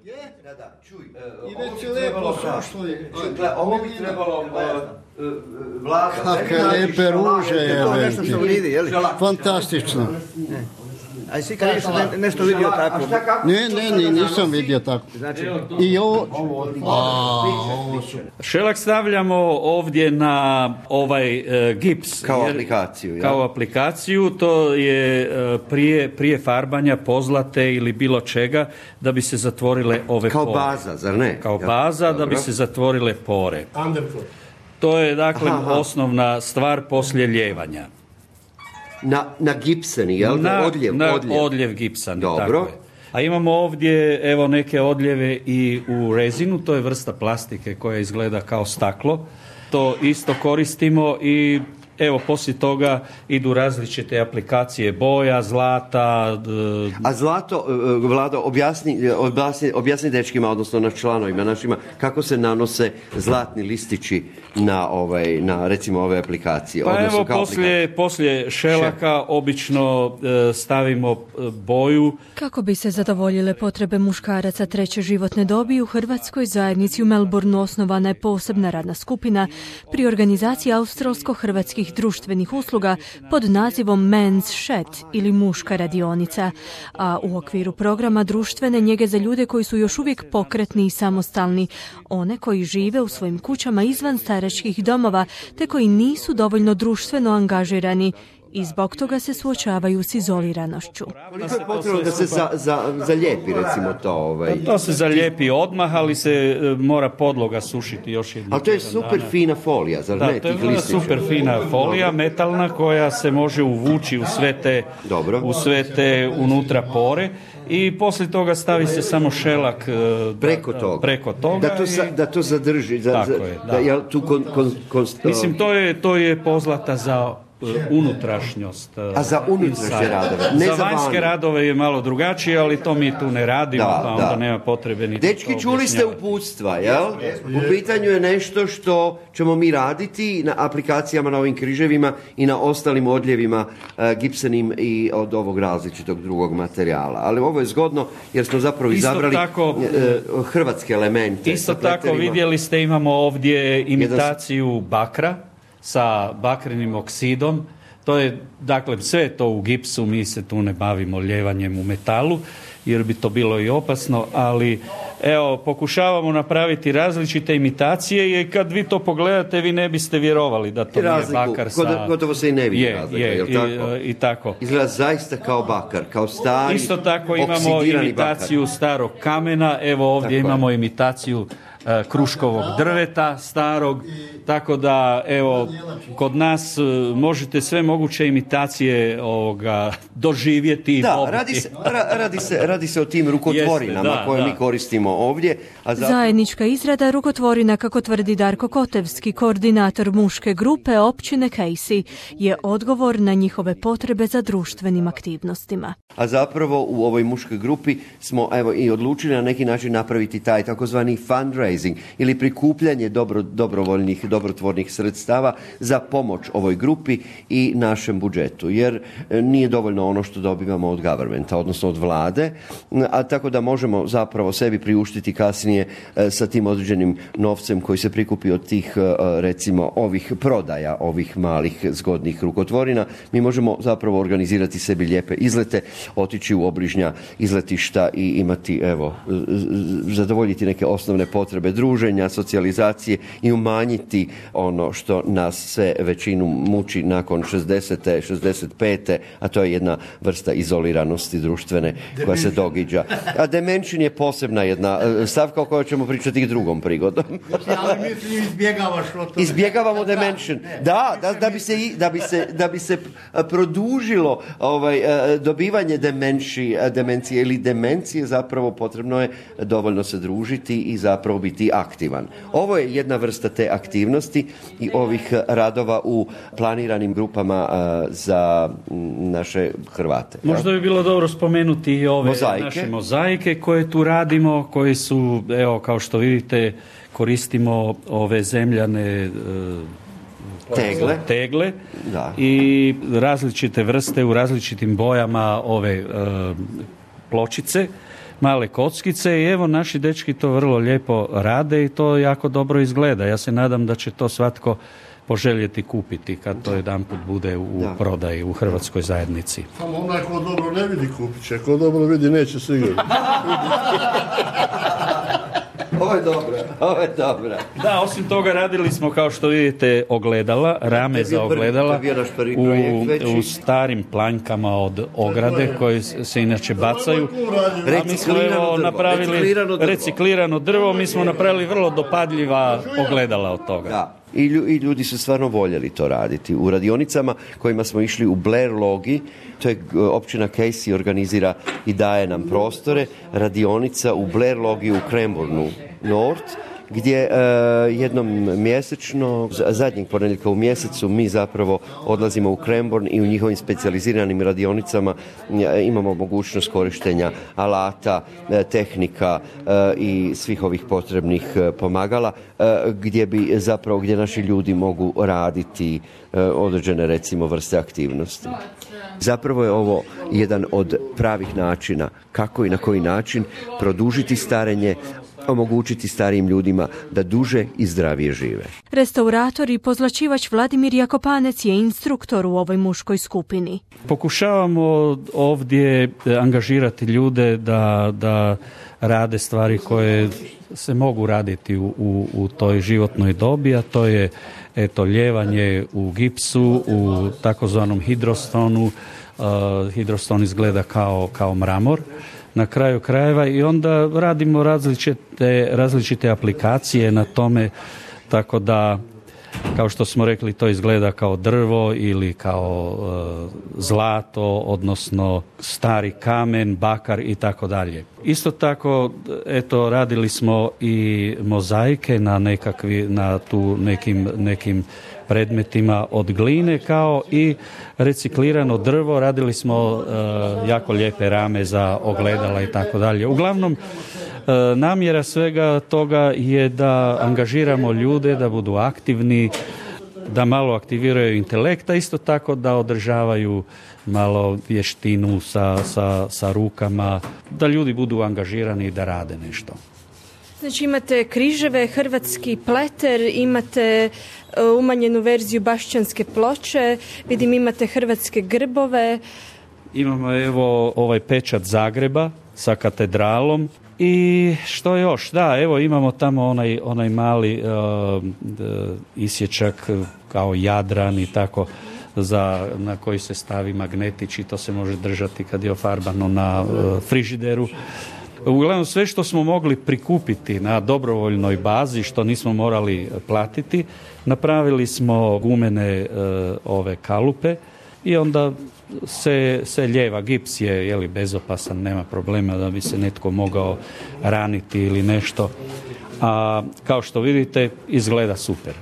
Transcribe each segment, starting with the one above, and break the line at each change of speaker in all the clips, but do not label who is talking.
Da, čuj.
I već je lepo sušlo.
Ovo bi trebalo Vlada.
Kakve lepe ruže je,
To nešto što vidi, je li?
fantastično.
A si kad nešto vidio tako?
Ne, nisam vidio tako.
Znači,
I ovo...
Šelak stavljamo ovdje na ovaj gips.
Kao aplikaciju.
Kao aplikaciju, to je prije farbanja pozlate ili bilo čega da bi se zatvorile ove
Kao
pore.
baza, zar ne?
Kao baza da bi se zatvorile pore. To je dakle osnovna stvar poslije ljevanja.
Na gipsani, jel?
Odljev gipsani.
Dobro.
Tako je. A imamo ovdje evo neke odljeve i u rezinu, to je vrsta plastike koja izgleda kao staklo. To isto koristimo i evo poslije toga idu različite aplikacije boja, zlata.
A zlato, Vlado, objasni dečkima, odnosno na članovima našima, kako se nanose zlatni listići na recimo ove aplikacije.
Pa evo poslije šelaka obično stavimo boju.
Kako bi se zadovoljile potrebe muškaraca treće životne dobi, u Hrvatskoj zajednici u Melbourneu osnovana je posebna radna skupina pri organizaciji australsko-hrvatskih društvenih usluga pod nazivom Men's Shed ili muška radionica, a u okviru programa društvene njege za ljude koji su još uvijek pokretni i samostalni, one koji žive u svojim kućama izvan staračkih domova te koji nisu dovoljno društveno angažirani i zbog toga se suočavaju s izoliranošću.
Koliko je potrebno da se zalijepi recimo to?
To se zalijepi odmah, ali se mora podloga sušiti još jednom.
Ali to je super fina folija, zar ne?
To je super fina folija, metalna, koja se može uvući u sve te unutra pore. I poslije toga stavi se samo šelak preko toga.
Da to zadrži.
Mislim, to je pozlata za unutrašnjost.
A za unutrašnje radove? Ne
za vanjske radove je malo drugačije, ali to mi tu ne radimo, pa onda nema potrebe ni.
Dečki, čuli ste uputstva, jel? U pitanju je nešto što ćemo mi raditi na aplikacijama, na ovim križevima i na ostalim odljevima gipsanim i od ovog različitog drugog materijala. Ali ovo je zgodno jer smo zapravo izabrali hrvatske elemente.
Isto tako vidjeli ste, imamo ovdje imitaciju bakra sa bakrenim oksidom. To je, dakle, sve to u gipsu, mi se tu ne bavimo ljevanjem u metalu, jer bi to bilo i opasno, ali evo, pokušavamo napraviti različite imitacije i kad vi to pogledate, vi ne biste vjerovali da to nije bakar sa...
Gotovo se i ne vidi razlika, je li tako?
I tako.
Izgleda zaista kao bakar, kao stari,
isto tako imamo imitaciju bakar. Starog kamena, evo ovdje tako imamo imitaciju kruškovog drveta starog, tako da evo kod nas možete sve moguće imitacije doživjeti.
Da, radi se o tim rukotvorinama koje mi koristimo ovdje.
Zajednička izrada rukotvorina, kako tvrdi Darko Kotevski, koordinator muške grupe općine Casey, je odgovor na njihove potrebe za društvenim aktivnostima.
A zapravo u ovoj muškoj grupi smo i odlučili na neki način napraviti taj takozvani fundraising ili prikupljanje dobrovoljnih, dobrotvornih sredstava za pomoć ovoj grupi i našem budžetu, jer nije dovoljno ono što dobivamo od governmenta, odnosno od vlade, a tako da možemo zapravo sebi priuštiti kasnije sa tim određenim novcem koji se prikupi od tih, recimo, ovih prodaja, ovih malih zgodnih rukotvorina. Mi možemo zapravo organizirati sebi lijepe izlete, otići u obližnja izletišta i imati, zadovoljiti neke osnovne potrebe druženja, socijalizacije i umanjiti ono što nas sve većinu muči nakon 60. 65. a to je jedna vrsta izoliranosti društvene koja se događa. A demention je posebna jedna stavka o kojoj ćemo pričati i drugom prigodom.
Ali mislim,
izbjegavamo demention. Da bi se produžilo dobivanje demencije ili demencije, zapravo potrebno je dovoljno se družiti i zapravo biti aktivan. Ovo je jedna vrsta te aktivnosti i ovih radova u planiranim grupama za naše Hrvate.
Možda bi bilo dobro spomenuti i ove naše mozaike koje tu radimo, koje su, evo, kao što vidite, koristimo ove zemljane tegle i različite vrste u različitim bojama ove pločice. male kockice i evo naši dečki to vrlo lijepo rade i to jako dobro izgleda. Ja se nadam da će to svatko poželjeti kupiti kad to jedanput bude u prodaji u hrvatskoj zajednici.
Samo onaj ko dobro ne vidi kupit će, ko dobro vidi neće sigurno.
Ovo je dobra.
Da, osim toga radili smo, kao što vidite, ogledala, rame za ogledala u starim planjkama od ograde koje se inače bacaju. A mi smo napravili reciklirano drvo, mi smo napravili vrlo dopadljiva ogledala od toga.
Da. I ljudi su stvarno voljeli to raditi. U radionicama kojima smo išli u Blair Logi, to je općina Casey organizira i daje nam prostore, radionica u Blair Logi u Cranbournu North, gdje jednom mjesečno, zadnjeg ponedjeljka u mjesecu, mi zapravo odlazimo u Cranbourne i u njihovim specijaliziranim radionicama imamo mogućnost korištenja alata, tehnika i svih ovih potrebnih pomagala, gdje naši ljudi mogu raditi određene, recimo, vrste aktivnosti. Zapravo je ovo jedan od pravih načina kako i na koji način produžiti starenje, omogućiti starijim ljudima da duže i zdravije žive.
Restaurator i pozlačivač Vladimir Jakopanec je instruktor u ovoj muškoj skupini.
Pokušavamo ovdje angažirati ljude da rade stvari koje se mogu raditi u toj životnoj dobi, a to je ljevanje u gipsu, u takozvanom hidrostonu. Hidroston izgleda kao mramor na kraju krajeva i onda radimo različite aplikacije na tome, tako da, kao što smo rekli, to izgleda kao drvo ili kao zlato, odnosno stari kamen, bakar i tako dalje. Isto tako, radili smo i mozaike na nekim predmetima od gline, kao i reciklirano drvo. Radili smo jako lijepe rame za ogledala i tako dalje. Uglavnom, namjera svega toga je da angažiramo ljude, da budu aktivni, da malo aktiviraju intelekta, isto tako da održavaju malo vještinu sa rukama, da ljudi budu angažirani i da rade nešto.
Znači imate križeve, hrvatski pleter, imate umanjenu verziju bašćanske ploče, vidim imate hrvatske grbove.
Imamo ovaj pečat Zagreba sa katedralom. I što još? Da, imamo tamo onaj mali isječak kao Jadran i tako, na koji se stavi magnetić i to se može držati kad je ofarbano na frižideru. Uglavnom, sve što smo mogli prikupiti na dobrovoljnoj bazi, što nismo morali platiti, napravili smo gumene ove kalupe i onda se ljeva. Gips je bezopasan, nema problema da bi se netko mogao raniti ili nešto. A kao što vidite, izgleda super,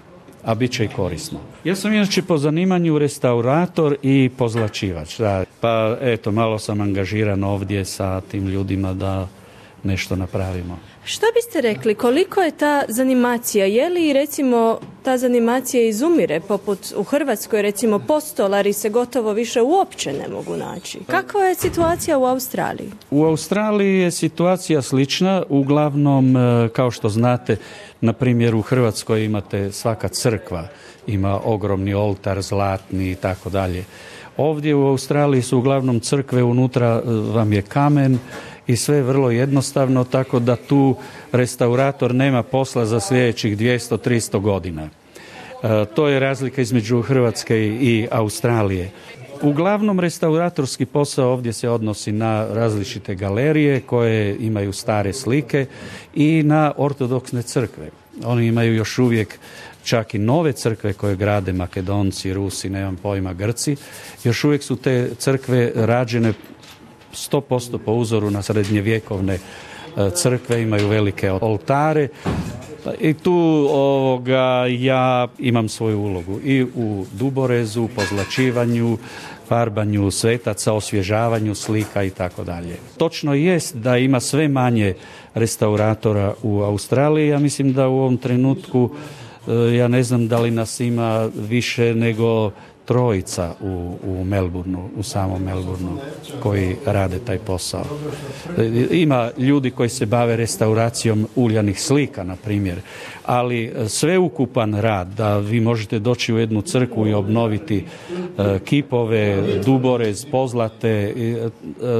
a bit će i korisno. Ja sam inače po zanimanju restaurator i pozlačivač. Da. Pa malo sam angažiran ovdje sa tim ljudima da nešto napravimo.
Što biste rekli, koliko je ta zanimacija? Je li, recimo, ta zanimacija izumire, poput u Hrvatskoj, recimo, postolari se gotovo više uopće ne mogu naći? Kakva je situacija u Australiji?
U Australiji je situacija slična. Uglavnom, kao što znate, na primjer u Hrvatskoj imate svaka crkva, ima ogromni oltar, zlatni i tako dalje. Ovdje u Australiji su uglavnom crkve, unutra vam je kamen, i sve je vrlo jednostavno, tako da tu restaurator nema posla za sljedećih 200-300 godina. To je razlika između Hrvatske i Australije. Uglavnom, restauratorski posao ovdje se odnosi na različite galerije koje imaju stare slike i na ortodoksne crkve. Oni imaju još uvijek čak i nove crkve koje grade Makedonci, Rusi, nemam pojma, Grci. Još uvijek su te crkve rađene 100% po uzoru na srednjevjekovne crkve, imaju velike oltare i tu ja imam svoju ulogu i u duborezu, pozlačivanju, farbanju svetaca, osvježavanju slika i tako dalje. Točno jest da ima sve manje restauratora u Australiji. Ja mislim da u ovom trenutku Ja ne znam da li nas ima više nego 3 u Melbourneu, u samom Melbourneu, koji rade taj posao. Ima ljudi koji se bave restauracijom uljanih slika, na primjer, ali sveukupan rad, da vi možete doći u jednu crkvu i obnoviti kipove, duborez, pozlate,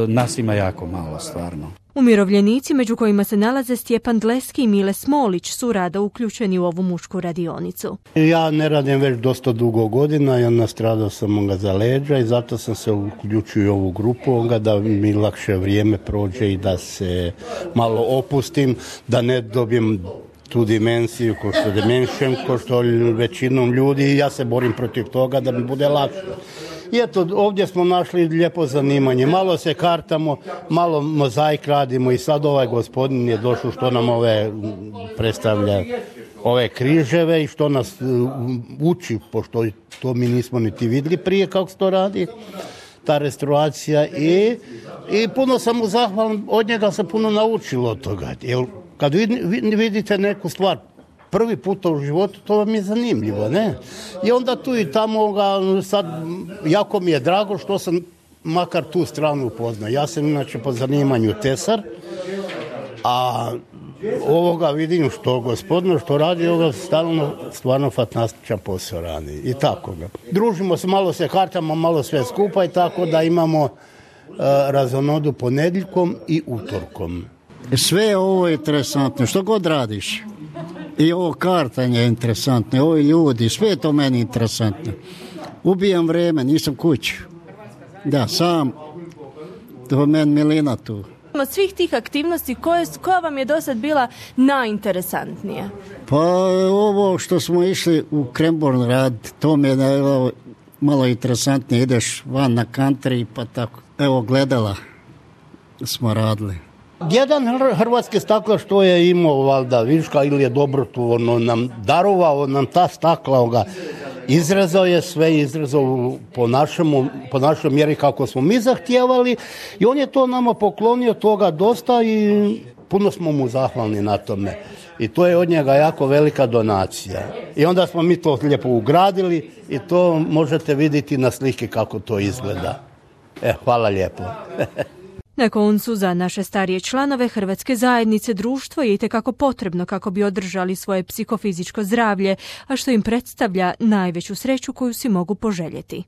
nas ima jako malo, stvarno.
Umirovljenici, među kojima se nalaze Stjepan Dleski i Mile Smolić, su rado uključeni u ovu mušku radionicu.
Ja ne radim već dosta dugo godina, ja nastradao sam za leđa i zato sam se uključio u ovu grupu, da mi lakše vrijeme prođe i da se malo opustim, da ne dobijem tu dimenziju ko što demenšem, ko što većinom ljudi, i ja se borim protiv toga da mi bude lakše. I eto, ovdje smo našli lijepo zanimanje. Malo se kartamo, malo mozaik radimo i sad ovaj gospodin je došao što nam predstavlja ove križeve i što nas uči, pošto to mi nismo niti vidjeli prije kako se to radi, ta restauracija. I puno sam mu zahvalan, od njega se puno naučilo od toga. Jer kad vidite neku stvar prvi puta u životu, to vam je zanimljivo, ne? I onda tu i tamo sad, jako mi je drago što sam makar tu stranu upoznao. Ja sam inače po zanimanju tesar, a ovoga vidim što gospodinu što radi, stvarno fantastičan posao radi. I tako ga. Družimo se, malo se kartamo, malo sve skupa i tako da imamo razonodu ponedjeljkom i utorkom.
Sve ovo je interesantno, što god radiš. I ovo kartanje je interesantno, ovi ljudi, sve je to meni interesantno. Ubijam vrijeme, nisam kući. Da, sam, to meni milina tu.
Od svih tih aktivnosti, koja vam je do sad bila najinteresantnija?
Pa ovo što smo išli u Cranbourne raditi, to mi je malo interesantnije. Ideš van na country pa tako. Evo, gledala smo radili.
Jedan hrvatski stakla što je imao valjda viška ili je dobrotvorno nam darovao nam ta stakla, izrezao je sve, izrezao po našoj mjeri kako smo mi zahtijevali i on je to nama poklonio toga dosta i puno smo mu zahvalni na tome. I to je od njega jako velika donacija. I onda smo mi to lijepo ugradili i to možete vidjeti na slike kako to izgleda. Hvala lijepo.
Na koncu, za naše starije članove Hrvatske zajednice društvo je itekako potrebno kako bi održali svoje psihofizičko zdravlje, a što im predstavlja najveću sreću koju si mogu poželjeti.